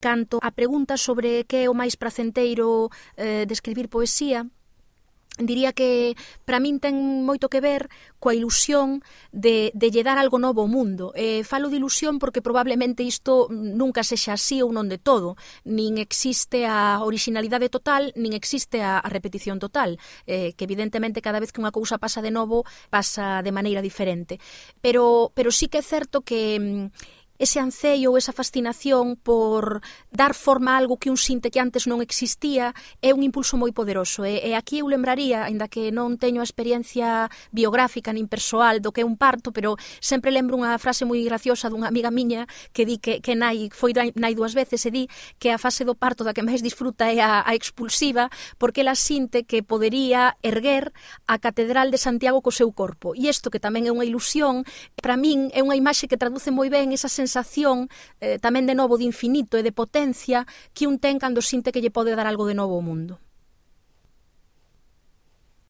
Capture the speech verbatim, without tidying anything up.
Canto a pregunta sobre que é o máis pracenteiro eh, de escribir poesía, diría que para min ten moito que ver coa ilusión de, de lle dar algo novo ao mundo. Eh, falo de ilusión porque probablemente isto nunca sexa así ou non de todo. Nin existe a originalidade total, nin existe a, a repetición total. Eh, que evidentemente cada vez que unha cousa pasa de novo, pasa de maneira diferente. Pero, pero sí que é certo que ese anceio ou esa fascinación por dar forma a algo que un sinte que antes non existía é un impulso moi poderoso. E, e aquí eu lembraría, aínda que non teño a experiencia biográfica nin persoal do que é un parto, pero sempre lembro unha frase moi graciosa dunha amiga miña que di que, que nai, foi nai dúas veces e di que a fase do parto da que máis disfruta é a, a expulsiva, porque ela sinte que podería erguer a Catedral de Santiago co seu corpo. E isto, que tamén é unha ilusión, para min é unha imaxe que traduce moi ben esa sensación sensación eh, tamén de novo de infinito e de potencia que un ten cando sinte que lle pode dar algo de novo ao mundo.